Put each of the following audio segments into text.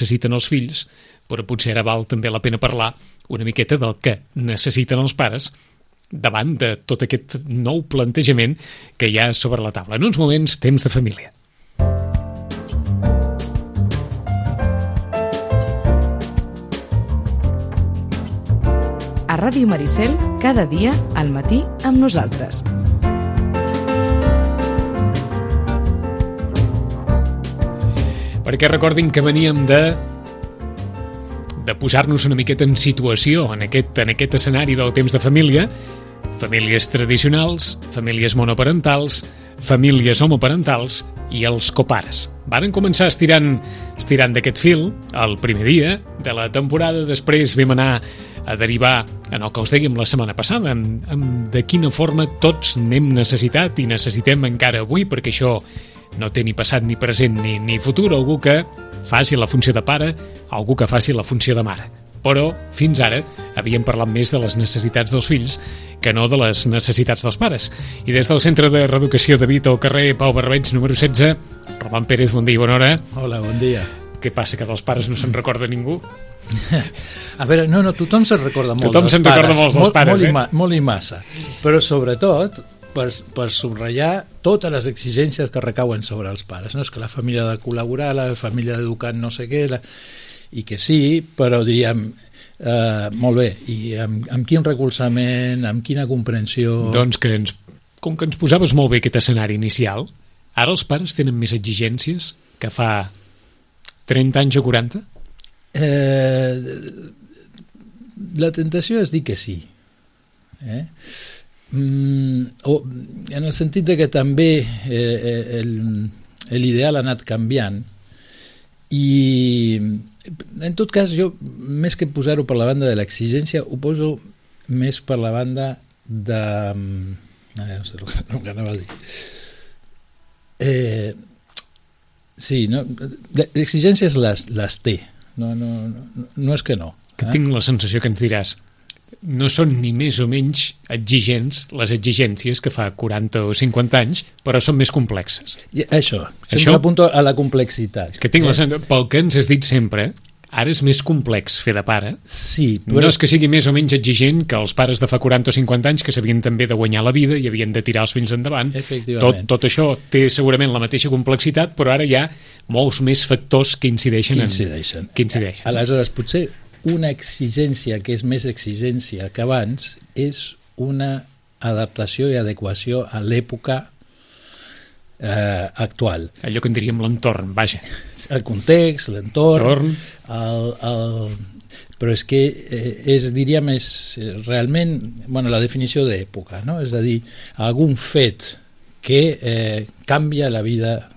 necessiten els fills, però potser ara val també la pena parlar una miqueta del que necessiten els pares davant de tot aquest nou plantejament que hi ha sobre la taula. En uns moments, temps de família. A Ràdio Maricel, cada dia al matí amb nosaltres. Perquè recordin que veníem de posar-nos una miqueta en situació en aquest escenari del temps de família, famílies tradicionals, famílies monoparentals, famílies homoparentals i els copares. Varen començar estirant d'aquest fil el primer dia de la temporada, després vam anar a derivar en el que us dèiem la setmana passada, de quina forma tots n'hem necessitat i necessitem encara avui, perquè això no té ni passat ni present ni futur, algú que faci la funció de pare, algú que faci la funció de mare. Però fins ara havíem parlat més de les necessitats dels fills que no de les necessitats dels pares. I des del Centre de Reeducació de Vita al carrer Pau Barbeig, número 16, Roman Pérez, bon dia i bona hora. Hola, bon dia. Què passa, que dels pares no se'n recorda ningú? A veure, no, tothom se'n recorda molt tothom dels se'n pares. Recorda molt dels pares, molt i massa. Però sobretot per subratllar totes les exigències que recauen sobre els pares. No és que la família ha de col·laborar, la família ha d'educar no sé què, i que sí, però diríem, molt bé, i amb quin recolzament, amb quina comprensió... Doncs com que ens posaves molt bé aquest escenari inicial, ara els pares tenen més exigències que fa 30 anys o 40? La tentació és dir que sí. O en el sentit de que també l'ideal ha anat canviant, i en tot cas jo, més que posar-ho per la banda de l'exigència, ho poso més per la banda de... no sé el que anava a dir. Sí, no, l'exigències les té, no és que no. Que tinc la sensació que ens diràs, no són ni més o menys exigents les exigències que fa 40 o 50 anys, però són més complexes. I això, sempre apunto a la complexitat. Que tinc la sensació, pel que ens has dit sempre, ara és més complex fer de pare. Sí, però... No és que sigui més o menys exigent que els pares de fa 40 o 50 anys, que sabien també de guanyar la vida i havien de tirar els fills endavant. Tot això té segurament la mateixa complexitat, però ara hi ha molts més factors que incideixen. Aleshores, potser una exigència que és més exigència que abans és una adaptació i adequació a l'època actual. Allò que en diríem l'entorn, vaja. El context, l'entorn, però és que diríem, és realment la definició d'època, no? És a dir, algun fet que canvia la vida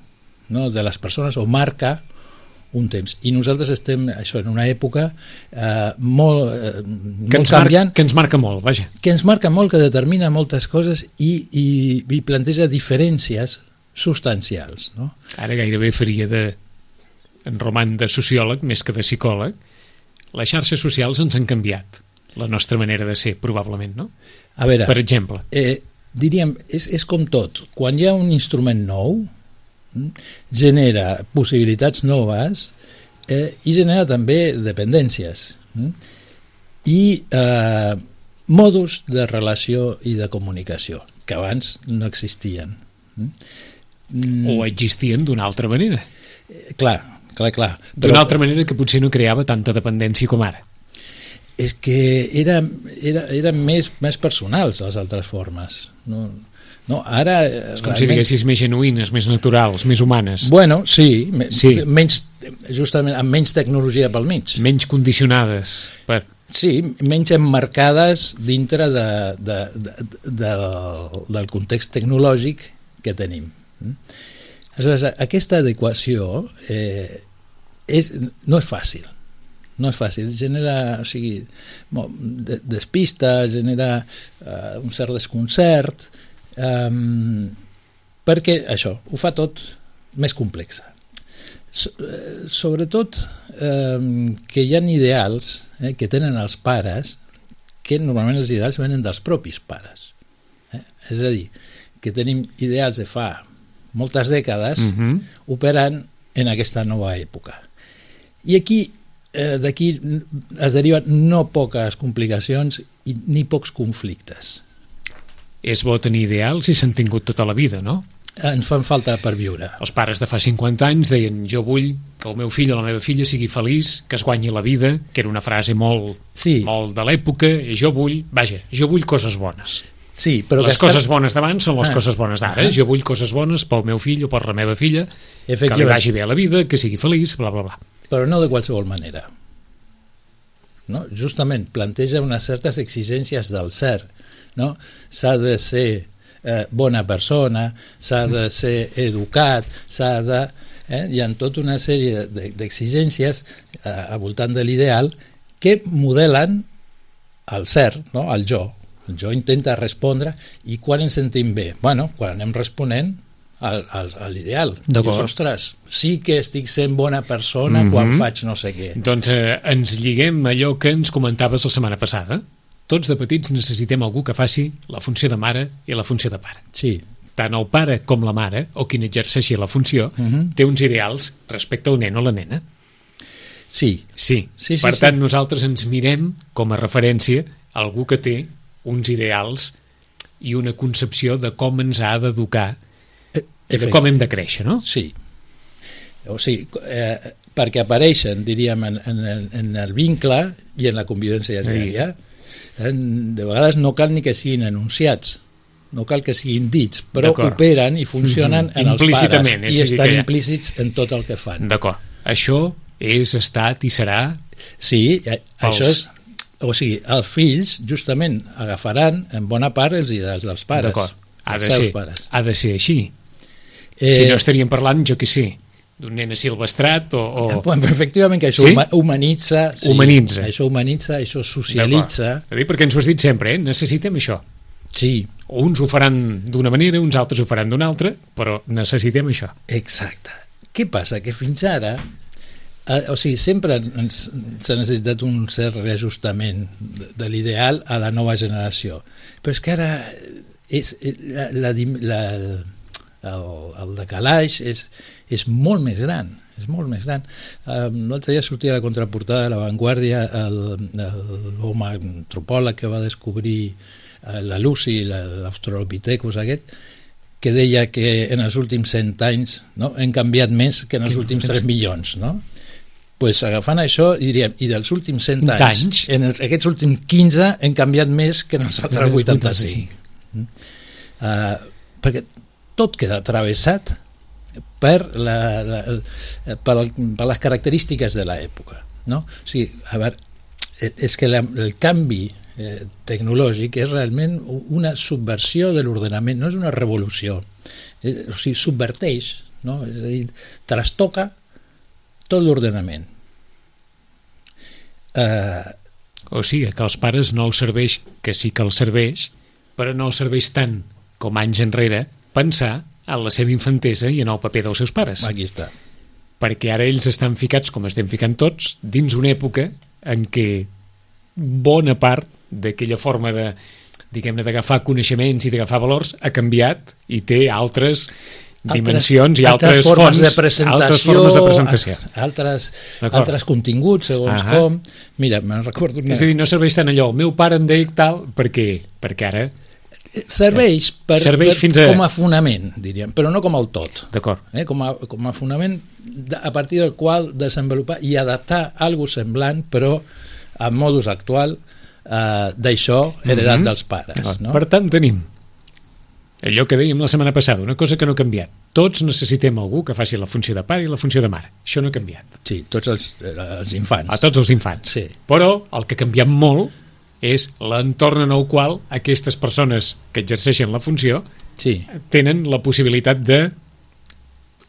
de les persones o marca un temps. I nosaltres estem en una època molt canviant. Que ens marca molt, vaja. Que ens marca molt, que determina moltes coses i planteja diferències substancials. No? Ara gairebé faria en Roman de sociòleg més que de psicòleg. Les xarxes socials ens han canviat la nostra manera de ser, probablement, no? A veure, per exemple. Diríem, és com tot. Quan hi ha un instrument nou, genera possibilitats noves i genera també dependències i mòduls de relació i de comunicació que abans no existien o existien d'una altra manera. Clar. D'una altra manera que potser no creava tanta dependència com ara. És que eren més personals les altres formes. No, ara... És com si diguessis més genuïnes, més naturals, més humanes. Bueno, sí. Justament amb menys tecnologia pel mig. Menys condicionades. Sí, menys emmarcades dintre del context tecnològic que tenim. Aleshores, aquesta adequació no és fàcil. No és fàcil, genera despista, genera un cert desconcert, perquè això ho fa tot més complex. Sobretot que hi ha ideals que tenen els pares, que normalment els ideals venen dels propis pares. És a dir, que tenim ideals de fa moltes dècades operant en aquesta nova època. I aquí, d'aquí es deriven no poques complicacions ni pocs conflictes. És bo tenir ideals i s'han tingut tota la vida, no? Ens fan falta per viure. Els pares de fa 50 anys deien jo vull que el meu fill o la meva filla sigui feliç, que es guanyi la vida, que era una frase molt de l'època, jo vull coses bones. Sí, però les coses bones d'abans són les coses bones d'ara. Jo vull coses bones pel meu fill o per la meva filla, que li vagi bé a la vida, que sigui feliç, bla, bla, bla. Però no de qualsevol manera. No? Justament planteja unes certes exigències del ser. No? S'ha de ser bona persona, s'ha de ser educat, s'ha de... Hi ha tota una sèrie d'exigències al voltant de l'ideal que modelen el ser, no? El jo. El jo intenta respondre i quan ens sentim bé? Bueno, quan anem responent a l'ideal. Dius, ostres, sí que estic sent bona persona quan faig no sé què. Doncs ens lliguem a allò que ens comentaves la setmana passada. Tots de petits necessitem algú que faci la funció de mare i la funció de pare. Sí. Tant el pare com la mare, o qui n'exerceixi la funció, té uns ideals respecte al nen o la nena. Sí. Per tant, nosaltres ens mirem com a referència algú que té uns ideals i una concepció de com ens ha d'educar i de com hem de créixer, no? Sí. O sigui, perquè apareixen, diríem, en el vincle i en la convivència diària. De vegades no cal ni que siguin enunciats, no cal que siguin dits, però operen i funcionen en els pares i estan implícits en tot el que fan. D'acord. Això és estat i serà... Sí, això és... O sigui, els fills justament agafaran en bona part els ideals dels pares. D'acord. Ha de ser així. Si no estaríem parlant, jo què sé, d'un nen asilvestrat o... Efectivament, que això humanitza. Humanitza. Això humanitza, això socialitza. Perquè ens ho has dit sempre, necessitem això. Sí. Uns ho faran d'una manera, uns altres ho faran d'una altra, però necessitem això. Exacte. Què passa? Que fins ara, o sigui, sempre s'ha necessitat un cert reajustament de l'ideal a la nova generació. Però és que ara el decalaix és molt més gran. És molt més gran. L'altre dia sortia a la contraportada de La Vanguardia l'home antropòleg que va descobrir la Lucy, l'Australopithecus aquest, que deia que en els últims 100 anys hem canviat més que en els últims 3 milions, no? Pues agafant això, diríem, i dels últims 100 anys, en aquests últims 15 hem canviat més que en els altres 85. Perquè tot queda travessat per les característiques de l'època, no? O sigui, a veure, és que el canvi tecnològic és realment una subversió de l'ordenament, no és una revolució, o sigui, subverteix, no? És a dir, trastoca tot l'ordenament. O sigui, que als pares no els serveix, que sí que els serveix, però no els serveix tant com anys enrere pensar en la seva infantesa i en el paper dels seus pares. Aquí està. Perquè ara ells estan ficats, com estem ficant tots, dins una època en què bona part d'aquella forma de, diguem-ne, d'agafar coneixements i d'agafar valors ha canviat i té altres dimensions i altres formes fonts, de presentació, altres formes de presentació. Altres continguts, segons com. Mira, me'n recordo una... És a dir, no serveix tant allò, el meu pare em deia tal, perquè ara... Serveix com a fonament, diríem, però no com el tot. D'acord. Com a fonament a partir del qual desenvolupar i adaptar alguna cosa semblant, però en modus actual d'això heredat dels pares. No? Per tant, tenim allò que dèiem la setmana passada, una cosa que no ha canviat. Tots necessitem algú que faci la funció de pare i la funció de mare. Això no ha canviat. Sí, tots els infants. A tots els infants. Sí. Però el que ha canviat molt és l'entorn en el qual aquestes persones que exerceixen la funció tenen la possibilitat de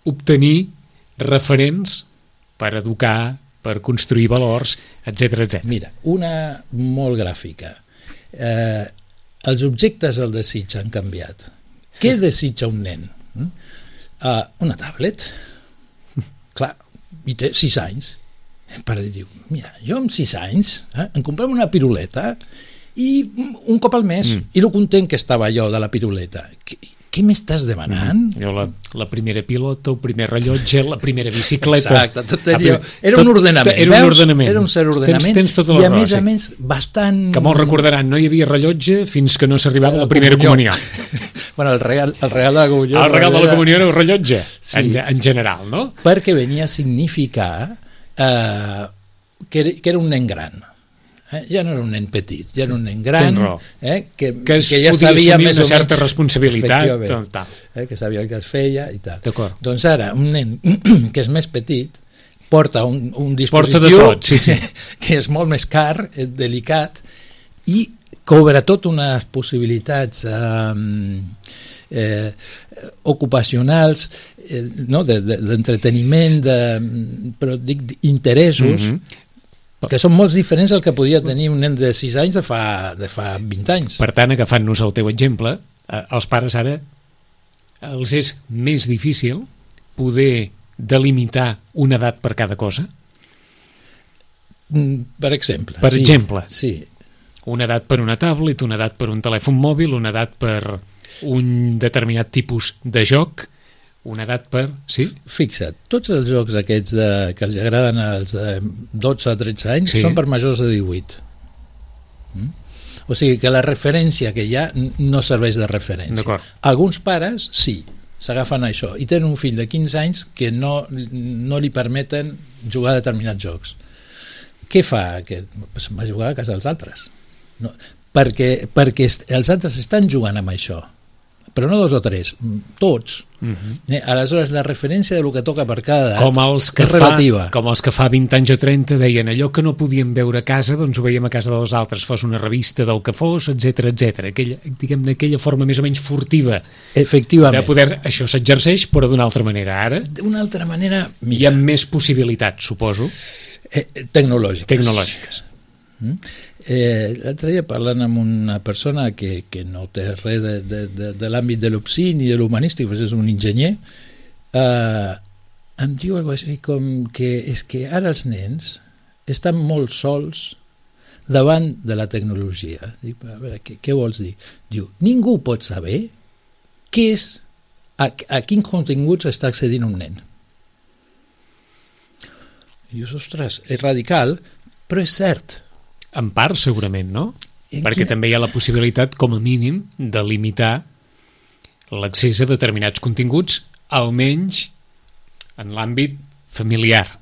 obtenir referents per educar, per construir valors, etc. Mira, una molt gràfica. Els objectes del desig han canviat. Què desitja un nen? Una tablet. Clar, i té 6 anys. El pare diu, mira, jo amb 6 anys em comprem una piruleta i un cop al mes, i lo content que estava jo de la piruleta. què m'estàs demanant? Jo la primera pilota, el primer rellotge, la primera bicicleta... Exacte, tot allò. Era un ordenament, era un ordenament. Era un cert ordenament, tens tota i la a més raó, a més bastant... Que molt recordaran, no hi havia rellotge fins que no s'arribava a la primera comunió. Bueno, el regal de la comunió... El regal de la comunió era el rellotge, sí. en general, no? Perquè venia a significar que era un nen gran. Ja no era un nen petit, ja era un nen gran, que ja sabia més o menys... una certa responsabilitat. Que sabia el que es feia i tal. Doncs ara, un nen que és més petit porta un dispositiu porta de tot, sí. que és molt més car, delicat, i cobra tot unes possibilitats ocupacionals, d'entreteniment, però dic interessos, que són molt diferents al que podia tenir un nen de 6 anys de fa 20 anys. Per tant, agafant-nos el teu exemple, els pares ara els és més difícil poder delimitar una edat per cada cosa? Per exemple. Per exemple. Sí. Una edat per una tablet, una edat per un telèfon mòbil, una edat per un determinat tipus de joc, una edat per... Sí? Fixa't, tots els jocs aquests que els agraden als 12 a 13 anys són per majors de 18. O sigui que la referència que hi ha no serveix de referència. Alguns pares sí, s'agafen a això i tenen un fill de 15 anys que no li permeten jugar a determinats jocs. Què fa aquest? Se'n va jugar a casa dels altres. No, perquè els altres estan jugant amb això, però no 2 o 3, tots. Aleshores la referència del que toca per cada edat és relativa. Com els que fa 20 anys o 30 deien allò que no podíem veure a casa, doncs ho veiem a casa dels altres, fos una revista del que fos, etc etc. Aquella forma més o menys furtiva. Efectivament. De poder, això s'exerceix, però d'una altra manera. Ara d'una altra manera hi ha més possibilitats, suposo. Tecnològiques. L'altre dia parlant amb una persona que no té res de l'àmbit de l'opsi ni de l'humanístic, però és un enginyer, em diu alguna cosa com que és que ara els nens estan molt sols davant de la tecnologia. Dic, a veure, què vols dir? Diu, ningú pot saber què és, a quins continguts està accedint un nen. I dius, ostres, és radical, però és cert. En part, segurament, no? Perquè també hi ha la possibilitat, com a mínim, de limitar l'accés a determinats continguts, almenys en l'àmbit familiar.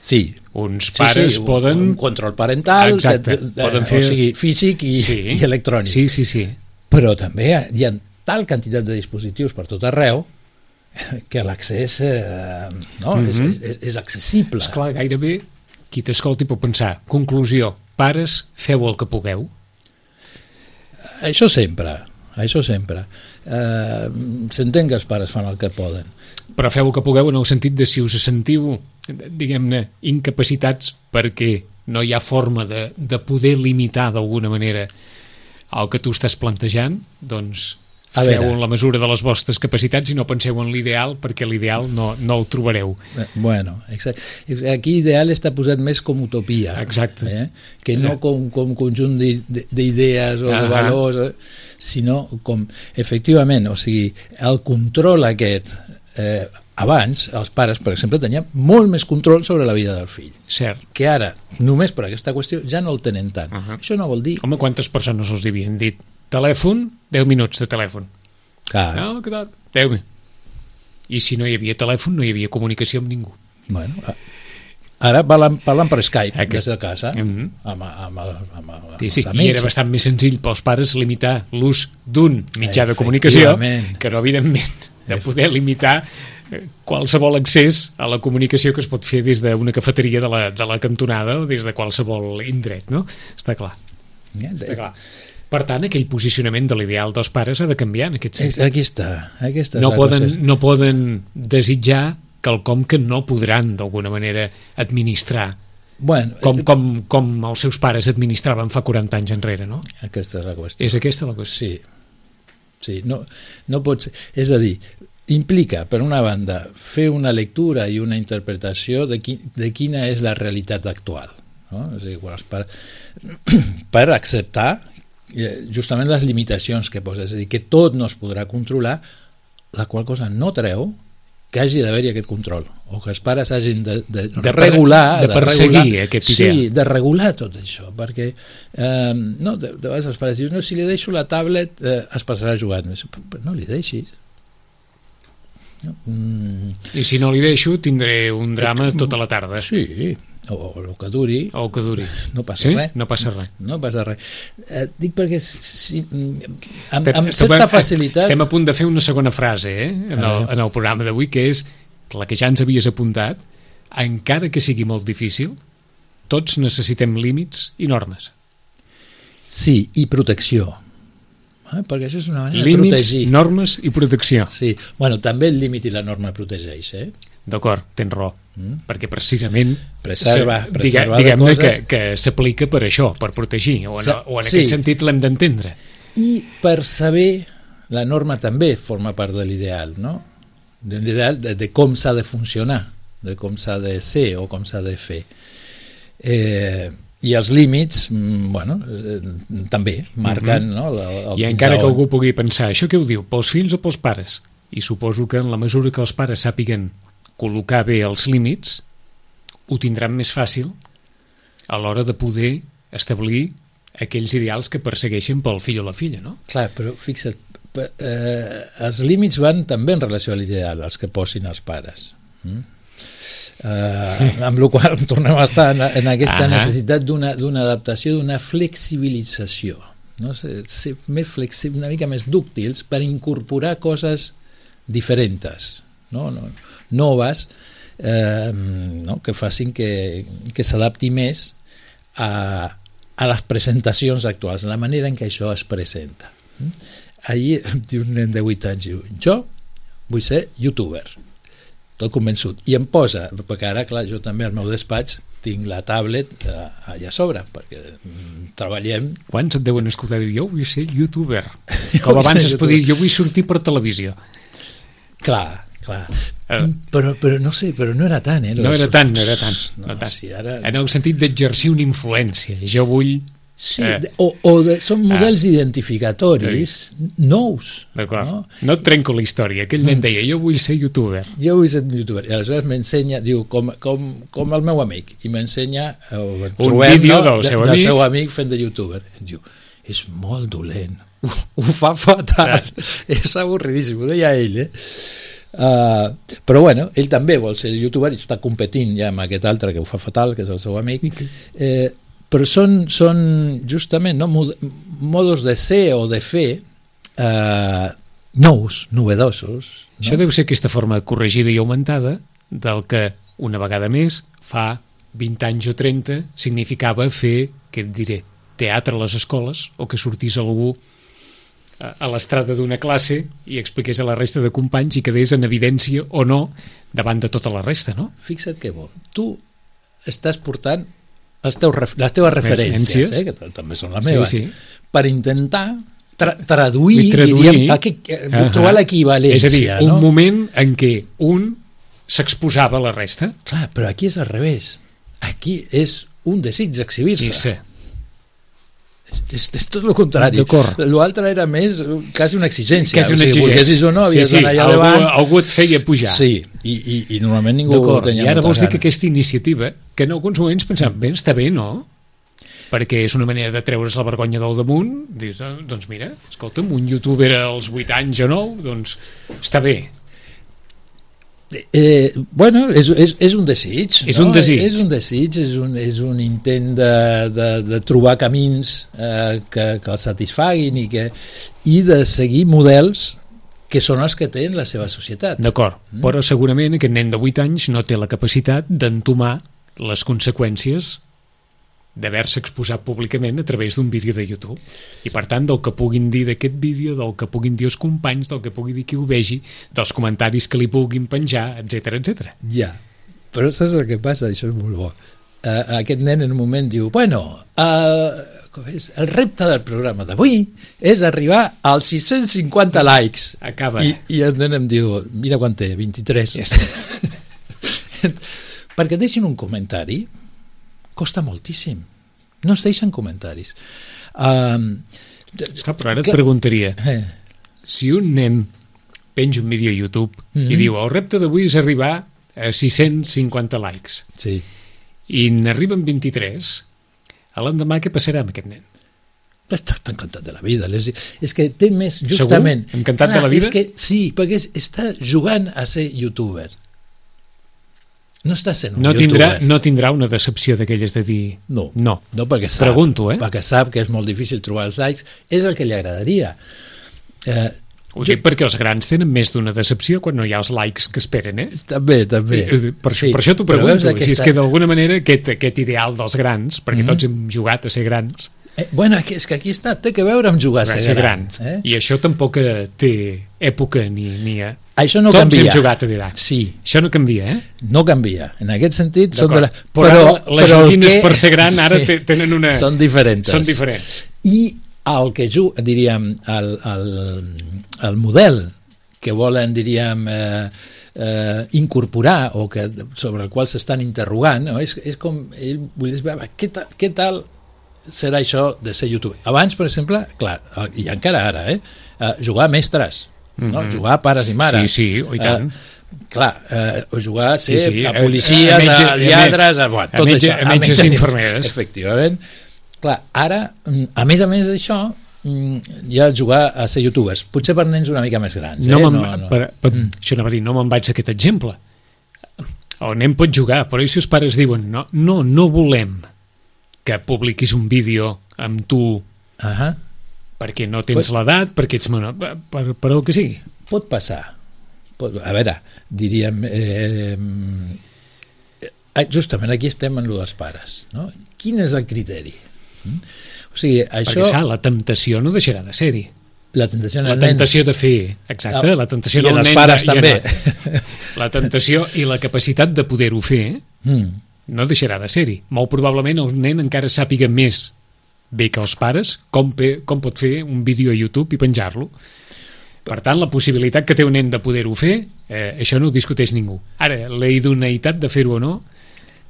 Sí. Uns pares poden... Un control parental, poden fer... o sigui, físic i electrònic. Sí. Però també hi ha tal quantitat de dispositius per tot arreu que l'accés és accessible. Esclar, gairebé qui t'escolti pot pensar, conclusió, pares, feu el que pugueu. Això sempre. S'entén que els pares fan el que poden. Però feu el que pugueu en el sentit de si us sentiu, diguem-ne, incapacitats perquè no hi ha forma de poder limitar d'alguna manera el que tu estàs plantejant, doncs feu en la mesura de les vostres capacitats i no penseu en l'ideal, perquè l'ideal no el trobareu. Bueno, exacte. Aquí ideal està posat més com utopia. Exacte. Que no com conjunt d'idees o de valors, sinó com, efectivament, o sigui, el control aquest, abans, els pares, per exemple, tenien molt més control sobre la vida del fill. Cert. Que ara, només per aquesta qüestió, ja no el tenen tant. Això no vol dir... Home, quantes persones els havien dit? Telèfon, 10 minuts de telèfon. No, què tal? 10 minuts. I si no hi havia telèfon, no hi havia comunicació amb ningú. Bueno, ara parlen per Skype des de casa, amb els amics. I era bastant més senzill pels pares limitar l'ús d'un mitjà de comunicació que no, evidentment, de poder limitar qualsevol accés a la comunicació que es pot fer des d'una cafeteria de la cantonada o des de qualsevol indret, no? Està clar. Està clar. Per tant, aquell posicionament de l'ideal dels pares ha de canviar en aquest sentit. Aquí està. No poden desitjar quelcom que no podran d'alguna manera administrar, com els seus pares administraven fa 40 anys enrere, no? Aquesta és la qüestió. És aquesta la qüestió? Sí. No pot ser. És a dir, implica, per una banda, fer una lectura i una interpretació de quina és la realitat actual, no? És a dir, per acceptar justament les limitacions que posa, és a dir, que tot no es podrà controlar, la qual cosa no treu que hagi d'haver-hi aquest control, o que els pares hagin de regular, de perseguir aquesta idea. Sí, de regular tot això, perquè no, de vegades els pares diuen, no, si li deixo la tablet es passarà jugant, però no li deixis. No? I si no li deixo tindré un drama tota la tarda. Sí, o el que duri. O el que duri. No passa res. No passa res. No passa res. Dic perquè amb certa facilitat... Estem a punt de fer una segona frase en el programa d'avui, que és la que ja ens havies apuntat. Encara que sigui molt difícil, tots necessitem límits i normes. Sí, i protecció. Perquè això és una manera límits, de protegir. Normes i protecció. Sí, bueno, també el límit i la norma protegeix, D'acord, tens raó, perquè precisament preserva diguem-ne que s'aplica per això, per protegir, o en aquest sentit l'hem d'entendre. I per saber, la norma també forma part de l'ideal, no? De l'ideal de com s'ha de funcionar, de com s'ha de ser o com s'ha de fer. I els límits, bueno, també marquen, no? I encara que algú pugui pensar, això què ho diu, pels fills o pels pares? I suposo que en la mesura que els pares sàpiguen col·locar bé els límits, ho tindran més fàcil a l'hora de poder establir aquells ideals que persegueixen pel fill o la filla, no? Clar, però fixa't, els límits van també en relació a l'ideal, els que posin els pares. Amb la qual cosa tornem a estar en aquesta necessitat d'una adaptació, d'una flexibilització, no? Ser més flexibles, una mica més dúctils per incorporar coses diferents, no? Noves, no? Que facin que s'adapti més a les presentacions actuals, a la manera en què això es presenta. Ahir diu un nen de 8 anys, diu, jo vull ser youtuber, tot convençut, i em posa, perquè ara, clar, jo també al meu despatx tinc la tablet allà a sobre, perquè treballem... Quants et deuen escoltar? Jo vull ser youtuber. Com abans es podia dir, jo vull sortir per televisió. Clar. Però no sé, però no era tant, No era tant. Sí, ara... En el sentit d'exercir una influència. Jo vull... Sí, són models identificatoris nous. D'acord. No et trenco la història. Aquell nen deia, jo vull ser youtuber. Jo vull ser youtuber. I aleshores m'ensenya, diu, com el meu amic, i m'ensenya un vídeo del seu amic fent de youtuber. Em diu, és molt dolent. Ho fa fatal. És avorridíssim, ho deia ell, però bueno, ell també vol ser youtuber i està competint ja amb aquest altre que ho fa fatal, que és el seu amic, però són justament, no, modos de ser o de fer nous, novedosos, no? Això deu ser aquesta forma corregida i augmentada del que una vegada més fa 20 anys o 30 significava fer, què et diré, teatre a les escoles, o que sortís algú a l'estrada d'una classe i expliqués a la resta de companys i quedés en evidència o no davant de tota la resta, no? Fixa't que bo. Tu estàs portant les teves referències, que també són les meves, per intentar traduir, diríem, trobar l'equivalència. És a dir, un moment en què un s'exposava a la resta. Clar, però aquí és al revés. Aquí és un desig d'exhibir-se. Sí. És tot el contrari. L'altre era més quasi una exigència. Volguessis o no, havies d'anar allà davant. Algú et feia pujar. Sí, i normalment ningú ho tenia. I ara vols dir que aquesta iniciativa, que en alguns moments pensàvem, bé, està bé, no? Perquè és una manera de treure's la vergonya del damunt, dius, doncs mira, escolta'm, un youtuber als 8 anys o 9, doncs està bé. Bueno, és un desig, és un desig, és un intent de trobar camins que el satisfaguin i de seguir models que són els que tenen la seva societat. D'acord, però segurament aquest nen de 8 anys no té la capacitat d'entomar les conseqüències d'haver-se exposat públicament a través d'un vídeo de YouTube. I per tant, del que puguin dir d'aquest vídeo, del que puguin dir els companys, del que pugui dir qui ho vegi, dels comentaris que li puguin penjar, etc. Ja, però saps el que passa? Això és molt bo. Aquest nen en un moment diu, bueno, el repte del programa d'avui és arribar als 650 likes. Acaba. I el nen em diu, mira quan té, 23. Yes. Perquè deixin un comentari costa moltíssim, no es deixen comentaris. Esclar, però ara et preguntaria, si un nen penja un vídeo a YouTube i diu el repte d'avui és arribar a 650 likes, Sí. i n'arriben 23, a l'endemà què passarà amb aquest nen? Està encantat de la vida. És que té més, justament... Segur? Encantat de la vida? És que, sí, perquè està jugant a ser youtuber. No està sent un youtuber. No tindrà una decepció d'aquelles de dir... No, perquè sap, Pregunto, perquè sap que és molt difícil trobar els likes. És el que li agradaria. Ho dic perquè els grans tenen més d'una decepció quan no hi ha els likes que esperen, eh? També. Per això t'ho pregunto, si és que d'alguna manera aquest ideal dels grans, perquè tots hem jugat a ser grans... Bueno, és que aquí té que veure amb jugar a ser gran. I això tampoc té època ni a... Això no Tots canvia. hem jugat a dir, sí. Això no canvia, eh? No canvia. En aquest sentit, però les joguines per ser gran ara tenen una... Són diferents. I el que diríem, el model que volen, diríem, incorporar o sobre el qual s'estan interrogant, no? És com ell volgués veure què tal serà això de ser youtuber. Abans, per exemple, clar, i encara ara, jugar a mestres, no? Jugar a pares i mares. Sí, i tant. O jugar a ser a policies, a lladres, a metges i infermeres. Efectivament. Clar, ara, a més d'això, hi ha jugar a ser youtubers. Potser per nens una mica més grans. Això anava a dir, no me'n vaig d'aquest exemple. El nen pot jugar, però si els pares diuen no volem que publiquis un vídeo amb tu perquè no tens l'edat, perquè ets menor, per el que sigui. Pot passar. A veure, diríem... justament aquí estem en lo dels pares. No? Quin és el criteri? O sigui, això... Perquè, la temptació no deixarà de ser-hi. La tentació de fer... Exacte, la tentació en els pares també. La tentació i la capacitat de poder-ho fer no deixarà de ser-hi. Molt probablement el nen encara sàpiga més bé que els pares com pot fer un vídeo a YouTube i penjar-lo. Per tant, la possibilitat que té un nen de poder-ho fer, això no ho discuteix ningú. Ara, la idoneïtat de fer-ho o no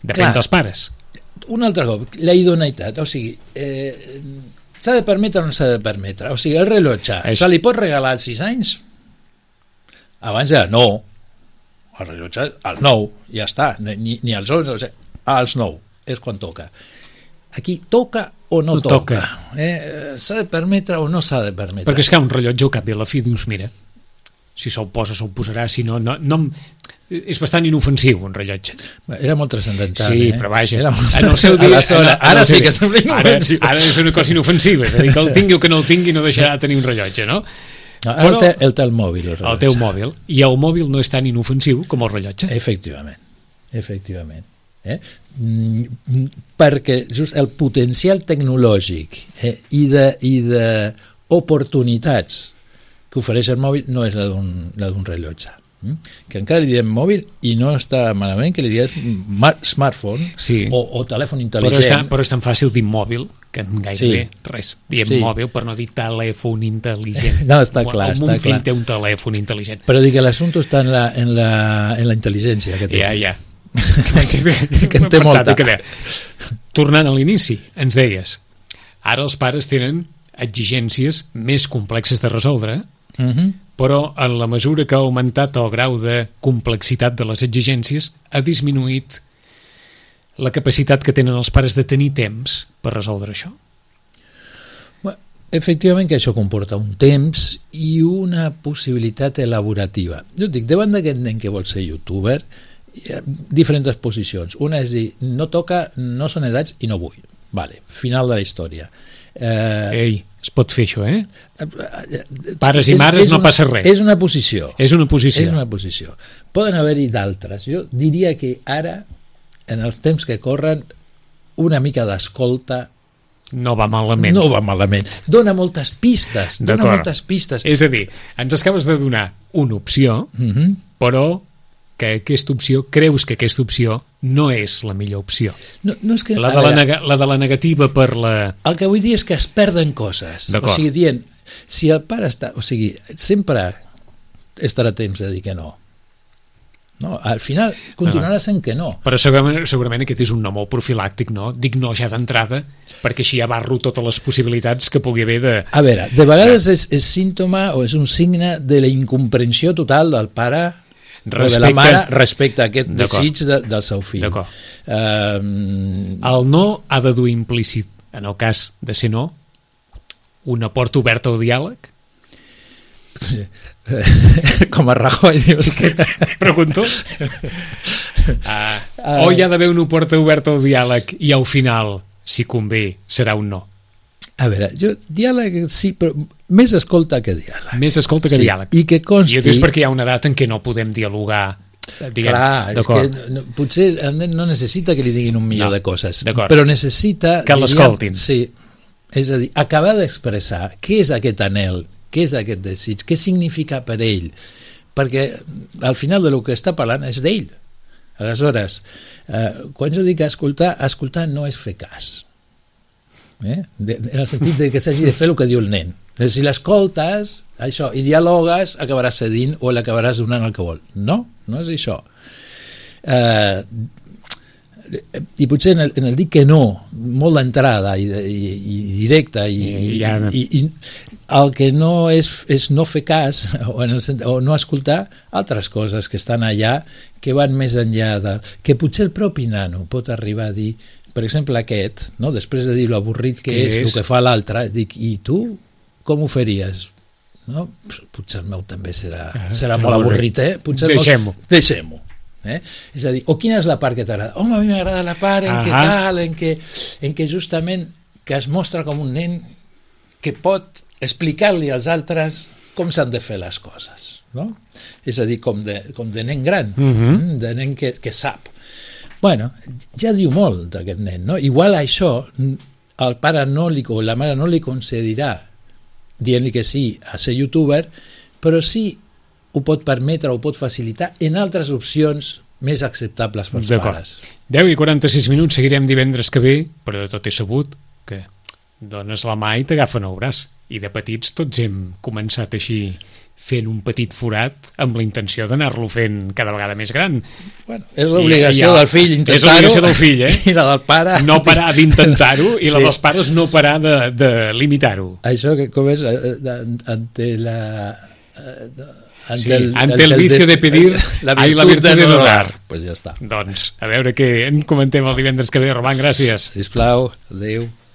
depèn dels pares. Un altre cop, la idoneïtat, o sigui, s'ha de permetre o no s'ha de permetre? O sigui, el rellotge, se li pot regalar als 6 anys? Abans era no. El rellotge, al 9, ja està, ni als 11, als 9, és quan toca. Aquí toca o no toca. S'ha de permetre o no s'ha de permetre. Perquè és que un rellotge al cap i a la fi dius, mira, si se'l posa, se'l posarà, si no... És bastant inofensiu, un rellotge. Era molt transcendental. Sí, però vaja, en el seu dia... Ara sí que sembla inofensiu. Ara és una cosa inofensiva, és a dir, que el tingui o que no el tingui no deixarà de tenir un rellotge, no? Ara el té el mòbil. El teu mòbil. I el mòbil no és tan inofensiu com el rellotge. Efectivament. Perquè just el potencial tecnològic i d'oportunitats que ofereix el mòbil no és la d'un rellotge. Que encara li diem mòbil i no està malament que li diem smartphone o telèfon intel·ligent. Però és tan fàcil dir mòbil que gairebé res. Diem mòbil per no dir telèfon intel·ligent. No, està clar. El meu fill té un telèfon intel·ligent. Però dic que l'assumpte està en la intel·ligència que té. Ja. Que en té molta. Tornant a l'inici, ens deies, ara els pares tenen exigències més complexes de resoldre, però en la mesura que ha augmentat el grau de complexitat de les exigències, ha disminuït la capacitat que tenen els pares de tenir temps per resoldre això. Efectivament que això comporta un temps i una possibilitat elaborativa. Jo dic, davant d'aquest nen que vol ser youtuber, hi ha diferents posicions. Una és dir, no toca, no són edats i no vull. Vale, final de la història. Es pot fer això, Pares i mares no passa res. És una posició. És una posició. Poden haver-hi d'altres. Jo diria que ara, en els temps que corren, una mica d'escolta no va malament. Dona moltes pistes. És a dir, ens acabes de donar una opció, però que aquesta opció, creus que aquesta opció no és la millor opció. No és que, la de la negativa per la... El que vull dir és que es perden coses. O sigui, dient, si el pare està... O sigui, sempre estarà temps de dir que no. No? Al final continuarà sent que no. Però segurament aquest és un no molt profilàctic, no? Dic no ja d'entrada, perquè així abarro totes les possibilitats que pugui haver de... A veure, de vegades és símptoma o és un signe de la incomprensió total del pare o de la mare respecte a aquest desig del seu fill. D'acord. El no ha de dur implícit, en el cas de ser no, una porta oberta al diàleg? Com a Rajoy, dius que... Pregunto. O hi ha d'haver una porta oberta al diàleg i al final, si convé, serà un no? A veure, diàleg sí, però més escolta que diàleg. Més escolta que diàleg. I que consti... I és perquè hi ha una edat en què no podem dialogar, diguem. Clar, és que potser el nen no necessita que li diguin un milió de coses, però necessita... Que l'escoltin. Sí, és a dir, acabar d'expressar què és aquest anhel, què és aquest desig, què significa per ell, perquè al final del que està parlant és d'ell. Aleshores, quan jo dic escoltar no és fer cas, en el sentit de que s'hagi de fer el que diu el nen. Si l'escoltes això i dialogues, acabaràs cedint o l'acabaràs donant el que vol. No és això. I potser en el dir que no, molt d'entrada i directa, i el que no és no fer cas o no escoltar altres coses que estan allà, que van més enllà que potser el propi nano pot arribar a dir, per exemple aquest, no? Després de dir l'avorrit que és el que fa l'altre, dic, i tu com ho faries? No? Potser el meu també serà molt avorrit, deixem-ho. És a dir, o quina és la part que t'agrada? Home, a mi m'agrada la part en què justament que es mostra com un nen que pot explicar-li als altres com s'han de fer les coses, no? És a dir, com de nen gran, de nen que sap. Bueno, ja diu molt d'aquest nen, no? Igual això el pare o la mare no li concedirà dient-li que sí a ser youtuber, però sí ho pot permetre, ho pot facilitar en altres opcions més acceptables pels pares. 10 i 46 minuts, seguirem divendres que ve, però de tot és sabut que dones la mà i t'agafen el braç. I de petits tots hem començat així fent un petit forat amb la intenció d'anar-lo fent cada vegada més gran. Bueno, és l'obligació del fill intentar-ho. És l'obligació del fill, I la del pare... No parar d'intentar-ho i la dels pares no parar de limitar-ho. Això que com és ante la... ante el vicio de pedir hay la virtud de no dar. Pues ja està. Doncs, a veure què en comentem el divendres que ve. Roman, gràcies. Sisplau, adéu.